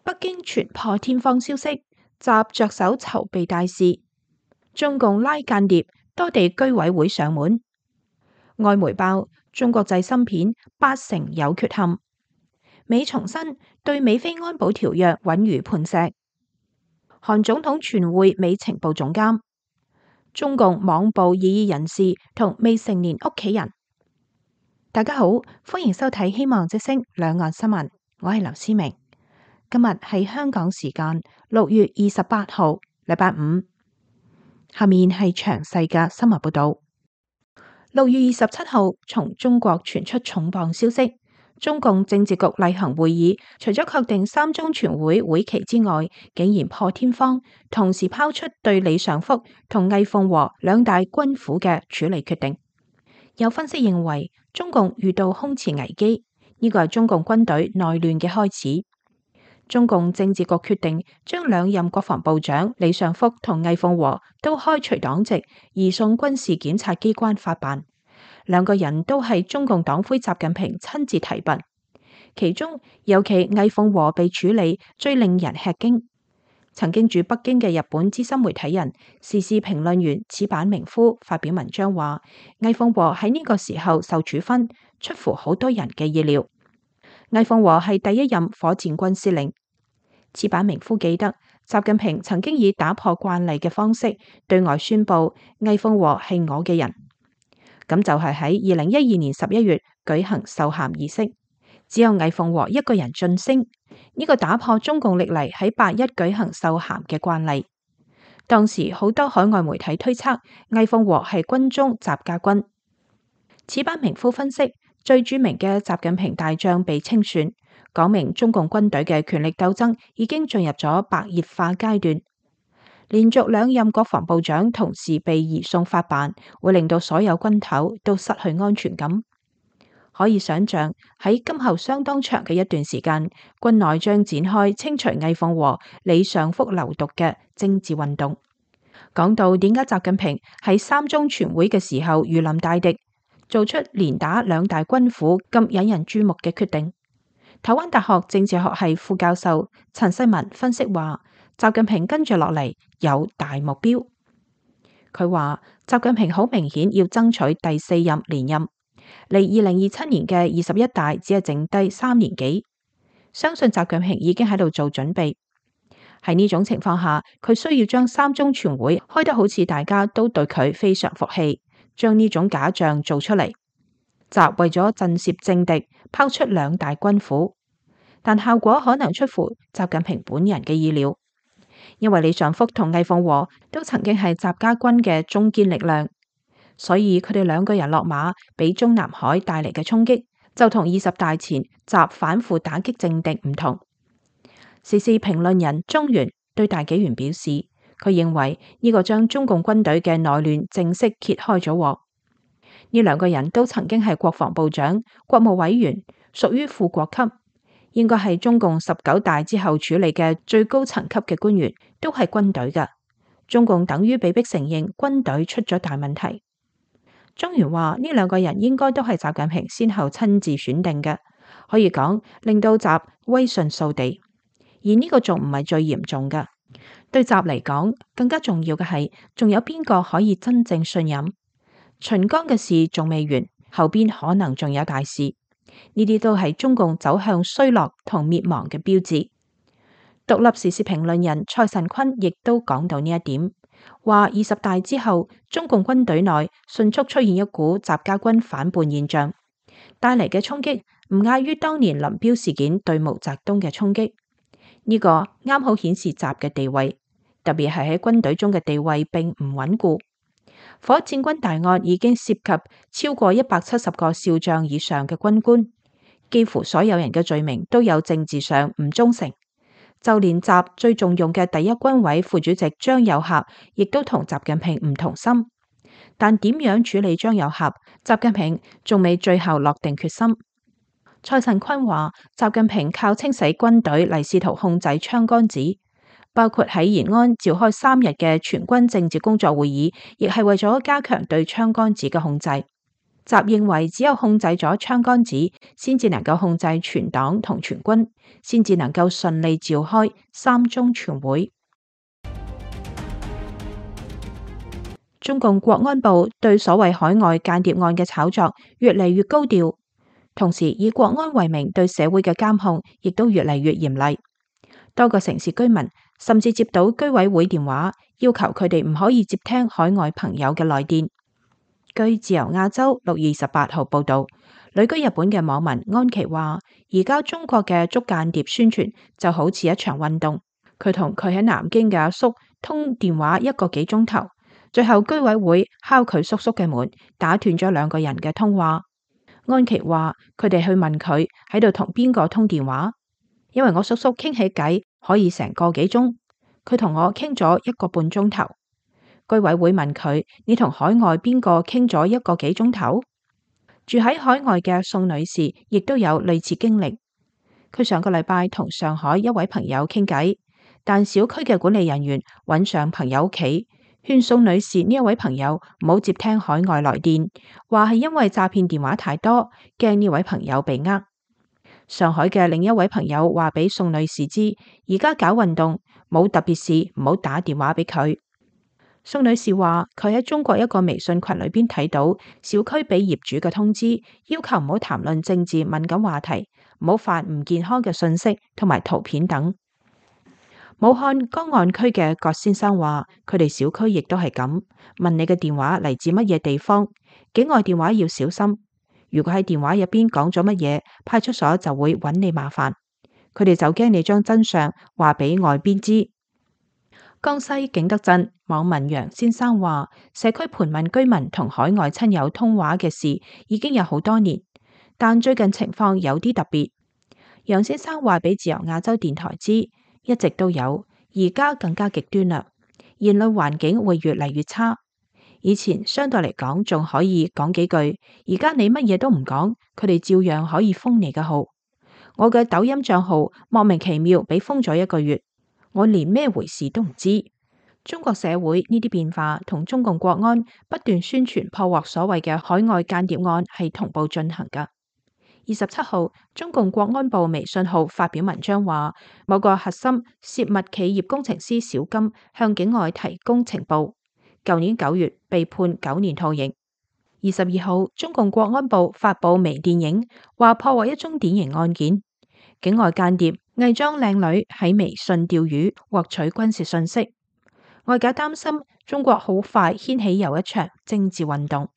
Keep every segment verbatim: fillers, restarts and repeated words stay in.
北京傳破天荒消息，習着手籌備大事，中共拉間諜，多地居委會上門。外媒報中國製芯片八成有缺陷。美重申對美菲安保條約穩如磐石。韓總統全會美情報總監。中共網捕異議人士同未成年屋企人。大家好，歡迎收睇希望之聲兩岸新聞，我係劉思明。今日係香港時間六月二十八號，禮拜五。下面係詳細嘅新聞報道。六月二十七號，從中國傳出重磅消息，中共政治局例行會議除咗確定三中全會會期之外，竟然破天荒同時拋出對李尚福同魏鳳和兩大軍府嘅處理決定。有分析認為，中共遇到空前危機，呢個係中共軍隊內亂嘅開始。中共政治局決定將兩任國防部長李尚福同魏鳳和都開除黨籍，移送軍事檢察機關法辦。兩個人都係中共黨魁習近平親自提拔，其中尤其魏鳳和被處理最令人吃驚。曾經駐北京嘅日本資深媒體人、時事評論員矢板明夫發表文章話，魏鳳和喺呢個時候受處分，出乎好多人嘅意料。魏鳳和係第一任火箭軍司令。矢板明夫記得，習近平曾經以打破慣例嘅方式對外宣布魏鳳和係我嘅人。咁就係喺二零一二年十一月舉行授銜儀式，只有魏鳳和一個人晉升，呢個打破中共歷嚟喺八一舉行授銜嘅慣例。當時好多海外媒體推測魏鳳和係軍中習家軍。矢板明夫分析，最著名嘅習近平大將被清算，講明中共軍隊嘅權力鬥爭已經進入咗白熱化階段。連續兩任國防部長同時被移送法辦，會令到所有軍頭都失去安全感。可以想象喺今後相當長嘅一段時間，軍內將展開清除魏鳳和、李尚福流毒嘅政治運動。講到點解習近平喺三中全會嘅時候如臨大敵，做出連打兩大軍府咁引人注目嘅決定，台灣大學政治學系副教授陳世文分析話，習近平跟住落嚟有大目標。佢話習近平好明顯要爭取第四任連任，離二零二七年嘅二十一大只係剩低三年幾，相信習近平已經喺度做準備。喺呢種情況下，佢需要將三中全會開得好似大家都對佢非常服氣，將呢種假象做出嚟。習為咗震懾政敵，拋出兩大軍府，但效果可能出乎習近平本人嘅意料。因為李尚福同魏鳳和都曾經係習家軍嘅中堅力量，所以佢哋兩個人落馬，俾中南海帶嚟嘅衝擊就同二十大前習反腐打擊政敵唔同。時事評論人中原對大紀元表示，佢認為呢個將中共軍隊嘅內亂正式揭開咗鑊。呢兩個人都曾經係國防部長、國務委員，屬於副國級。應該係中共十九大之後處理嘅最高層級嘅官員，都係軍隊嘅。中共等於被迫承認軍隊出咗大問題。中原話呢兩個人應該都係習近平先後親自選定嘅，可以講令到習威信掃地。而呢個仲唔係最嚴重嘅，對習嚟講更加重要嘅係，仲有邊個可以真正信任？秦剛嘅事仲未完，後邊可能仲有大事。呢啲都係中共走向衰落同滅亡嘅標誌。獨立時事評論人蔡神坤亦都講到呢一點，話二十大之後，中共軍隊內迅速出現一股習家軍反叛現象，帶嚟嘅衝擊唔亞於當年林彪事件對毛澤東嘅衝擊。呢、這個啱好顯示習嘅地位，特別係喺軍隊中嘅地位並唔穩固。火箭軍大案已經涉及超過一百七十個少將以上嘅軍官，幾乎所有人嘅罪名都有政治上唔忠誠，就連習最重用嘅第一軍委副主席張又俠，亦都同習近平唔同心。但點樣處理張又俠，習近平仲未最後落定決心。蔡陳坤話，習近平靠清洗軍隊嚟試圖控制槍桿子。包括喺延安召開三日嘅全軍政治工作會議，亦係為咗加強對槍桿子嘅控制。習認為只有控制咗槍桿子，先至能夠控制全黨同全軍，先至能夠順利召開三中全會。中共國安部對所謂海外間諜案嘅炒作越嚟越高調，同時以國安為名對社會嘅監控亦都越嚟越嚴厲。多個城市居民甚至接到居委會電話，要求佢哋唔可以接聽海外朋友嘅來電。據自由亞洲六月二十八號報道，旅居日本嘅網民安琪話，而家中國嘅捉間諜宣傳就好似一場運動。佢同佢喺南京嘅阿叔通電話一個幾鐘頭，最後居委會敲佢叔叔嘅門，打斷咗兩個人嘅通話。安琪話佢哋去問佢喺度同邊個通電話，因為我叔叔傾起偈可以成個幾鐘，佢同我傾咗一個半鐘頭。居委會問佢，你同海外邊個傾咗一個幾鐘頭？住喺海外嘅宋女士亦都有類似經歷。佢上個禮拜同上海一位朋友傾偈，但小區嘅管理人員揾上朋友屋企，勸宋女士呢一位朋友唔好接聽海外來電，話係因為詐騙電話太多，驚呢位朋友被呃。上海嘅另一位朋友話俾宋女士知，而家搞運動，冇特別事唔好打電話俾佢。宋女士話佢喺中國一個微信群裏邊睇到小區俾業主嘅通知，要求唔好談論政治敏感話題，唔好發唔健康嘅信息同埋圖片等。武漢江岸區嘅郭先生話，佢哋小區亦都係咁，問你嘅電話嚟自乜嘢地方，境外電話要小心。如果喺電話入邊講咗乜嘢，派出所就會揾你麻煩。佢哋就驚你將真相話俾外邊知。江西景德鎮網民楊先生話，社區盤問居民同海外親友通話嘅事已經有好多年，但最近情況有啲特別。楊先生話俾自由亞洲電台知，一直都有，而家更加極端啦，言論環境會越嚟越差。以前相對嚟講仲可以講幾句，而家你乜嘢都唔講，佢哋照樣可以封你嘅號。我嘅抖音賬號莫名其妙俾封咗一個月，我連咩回事都唔知。中國社會呢啲變化同中共國安不斷宣傳破獲所謂嘅海外間諜案係同步進行㗎。二十七號，中共國安部微信號發表文章話，某個核心泄密企業工程師小金向境外提供情報，舊年九月被判九年徒刑。二十二號，中共國安部發布微電影，話破獲一宗典型案件，境外間諜偽裝靚女喺微信釣魚，獲取軍事信息。外界擔心中國好快掀起又一場政治運動。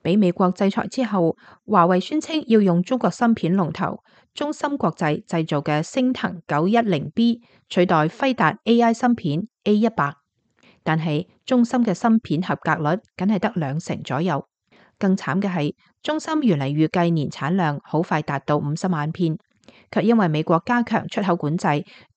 俾美國制裁之後，華為宣稱要用中國芯片龍頭中芯國際製造嘅昇騰九一零 B 取代輝達 A I 芯片 A 一百，但係中芯嘅芯片合格率僅係得兩成左右。更慘嘅係，中芯原嚟預計年產量好快達到五十萬片，卻因為美國加強出口管制，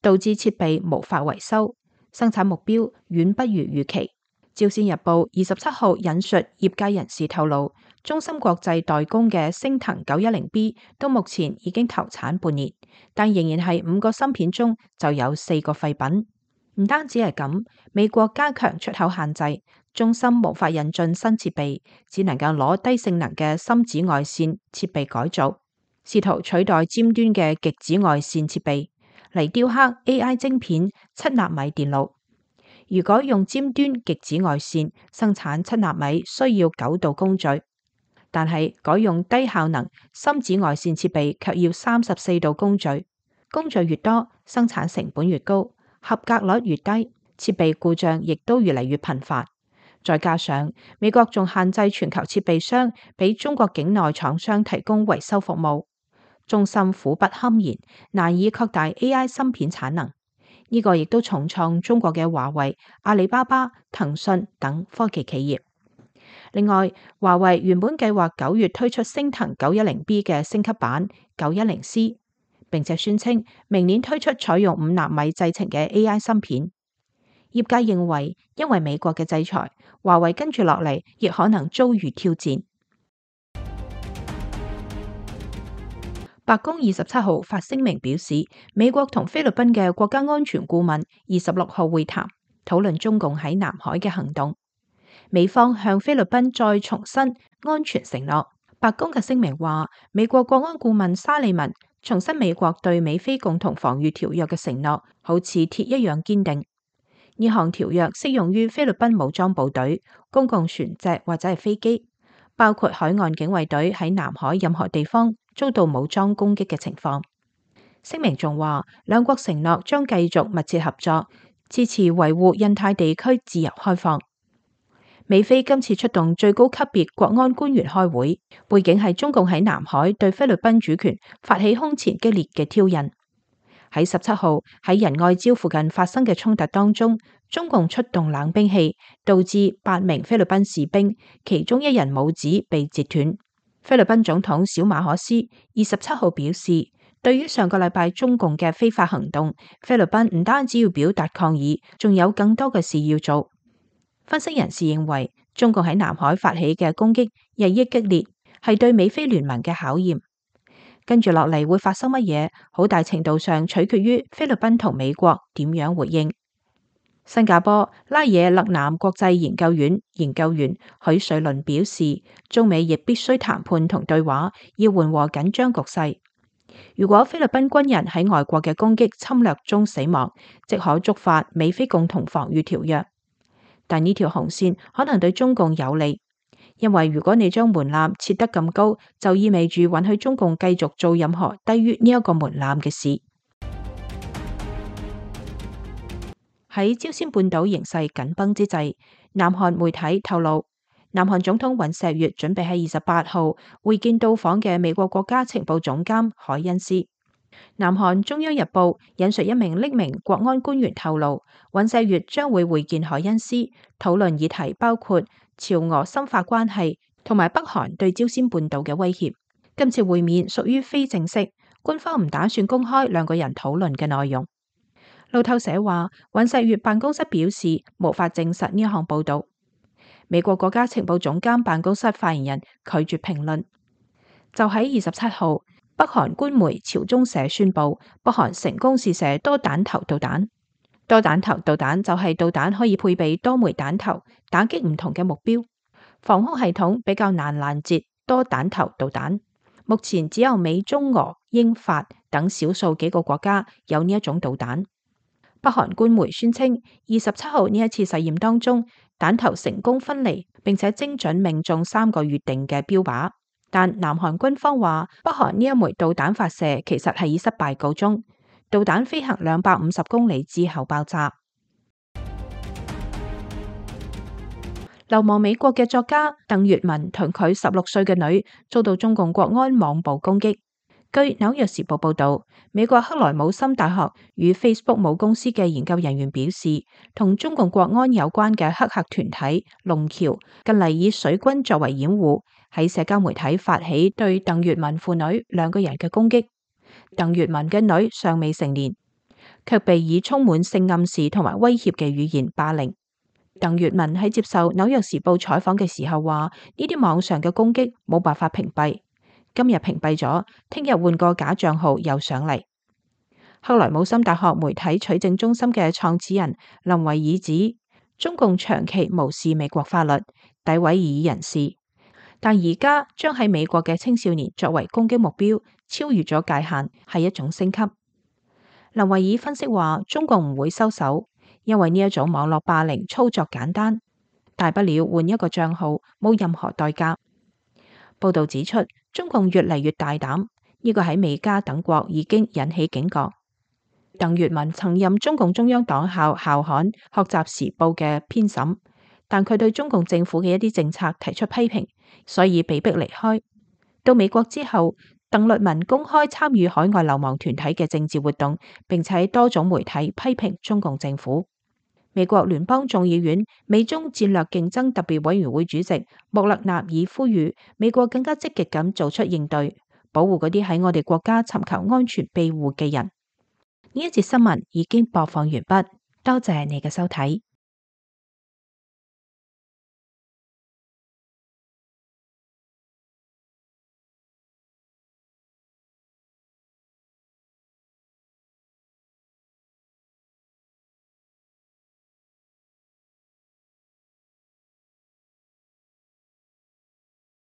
導致設備無法維修，生產目標遠不如預期。朝鮮日報二十七號引述業界人士透露，中芯國際代工嘅昇騰九一零 B 到目前已經投產半年，但仍然係五個芯片中就有四個廢品。唔單止係咁，美國加強出口限制，中芯無法引進新設備，只能夠攞低性能嘅深紫外線設備改造，試圖取代尖端嘅極紫外線設備嚟雕刻 A I 晶片七納米電路。如果用尖端極紫外線生產七納米，需要九道工序，但係改用低效能深紫外線設備卻要三十四道工序。工序越多，生產成本越高，合格率越低，設備故障亦都越嚟越頻繁。再加上美國仲限制全球設備商俾中國境內廠商提供維修服務，中芯苦不堪言，難以擴大 A I 芯片產能。呢個亦都重創中國嘅華為、阿里巴巴、騰訊等科技企業。另外，華為原本計劃九月推出昇騰九一零 B 嘅升級版九一零 C， 並且宣稱明年推出採用五納米製程嘅 A I 芯片。業界認為，因為美國嘅制裁，華為跟住落嚟亦可能遭遇挑戰。白宮二十七號發聲明表示，美國同菲律賓嘅國家安全顧問二十六號會談，討論中共喺南海嘅行動。美方向菲律賓再重申安全承諾。白宮嘅聲明話，美國國安顧問沙利文重申美國對美菲共同防禦條約嘅承諾，好似鐵一樣堅定。呢項條約適用於菲律賓武裝部隊、公共船隻或者係飛機，包括海岸警衛隊喺南海任何地方遭到武裝攻擊嘅情況。聲明仲話，兩國承諾將繼續密切合作，支持維護印太地區自由開放。美菲今次出動最高級別國安官員開會，背景係中共喺南海對菲律賓主權發起空前激烈嘅挑釁。喺十七號喺仁愛礁附近發生嘅衝突當中，中共出動冷兵器，導致八名菲律賓士兵，其中一人拇指被截斷。菲律賓總統小馬可斯二十七號表示，對於上個禮拜中共嘅非法行動，菲律賓唔單止要表達抗議，仲有更多嘅事要做。分析人士認為，中共喺南海發起嘅攻擊日益激烈，係對美菲聯盟嘅考驗。跟住落嚟會發生乜嘢，好大程度上取決於菲律賓同美國點樣回應。新加坡拉惹勒南國際研究院研究員許瑞麟表示，中美亦必須談判同對話，要緩和緊張局勢。如果菲律賓軍人喺外國嘅攻擊侵略中死亡，即可觸發美菲共同防禦條約。但呢條紅線可能對中共有利，因為如果你將門檻設得咁高，就意味住允許中共繼續做任何低於呢一個門檻嘅事。喺朝鮮半島形勢緊繃之際，南韓媒體透露，南韓總統尹錫悅準備喺二十八號會見到訪嘅美國國家情報總監海恩斯。南韓中央日報引述一名匿名國安官員透露，尹錫悅將會會見海恩斯，討論議題包括朝俄深化關係同埋北韓對朝鮮半島嘅威脅。今次會面屬於非正式，官方唔打算公開兩個人討論嘅內容。路透社話，尹錫悅辦公室表示無法證實呢項報道。美國國家情報總監辦公室發言人拒絕評論。就喺二十七號，北韓官媒朝中社宣布，北韓成功試射多彈頭導彈。多彈頭導彈就係導彈可以配備多枚彈頭，打擊唔同嘅目標。防空系統比較難攔截多彈頭導彈。目前只有美、中、俄、英、法等少數幾個國家有呢一種導彈。北韓官媒宣稱，二十七號呢一次實驗當中，彈頭成功分離，並且精準命中三個預定嘅標靶。但南韓軍方話，北韓呢一枚導彈發射其實係以失敗告終，導彈飛行兩百五十公里之後爆炸。流亡美國嘅作家鄧月文同佢十六歲嘅女遭到中共國安網暴攻擊。據紐約時報報道，美國克萊姆森大學與 Facebook 母公司嘅研究人員表示，同中共國安有關嘅黑客團體龍橋近嚟以水軍作為掩護，喺社交媒體發起對鄧月文父女兩個人嘅攻擊。鄧月文嘅女尚未成年，卻被以充滿性暗示同埋威脅嘅語言霸凌。鄧月文喺接受紐約時報採訪嘅時候話：呢啲網上嘅攻擊冇辦法屏蔽。今日屏蔽咗，聽日換個假賬號又上嚟。克萊姆森大學媒體取證中心嘅創始人林維爾指，中共長期無視美國法律，詆毀異議人士，但而家將喺美國嘅青少年作為攻擊目標，超越咗界限，係一種升級。林維爾分析話，中共唔會收手，因為呢一種網絡霸凌操作簡單，大不了換一個賬號，冇任何代價。報道指出，中共越嚟越大膽，呢個喺美加等國已經引起警覺。鄧月文曾任中共中央黨校校刊《學習時報》嘅編審，但佢對中共政府嘅一啲政策提出批評，所以被迫離開。到美國之後，鄧律文公開參與海外流亡團體嘅政治活動，並且喺多種媒體批評中共政府。美國聯邦眾議院美中戰略競爭特別委員會主席穆勒納爾呼籲美國更加積極咁做出應對，保護嗰啲喺我哋國家尋求安全庇護嘅人。呢一節新聞已經播放完畢，多謝你嘅收睇。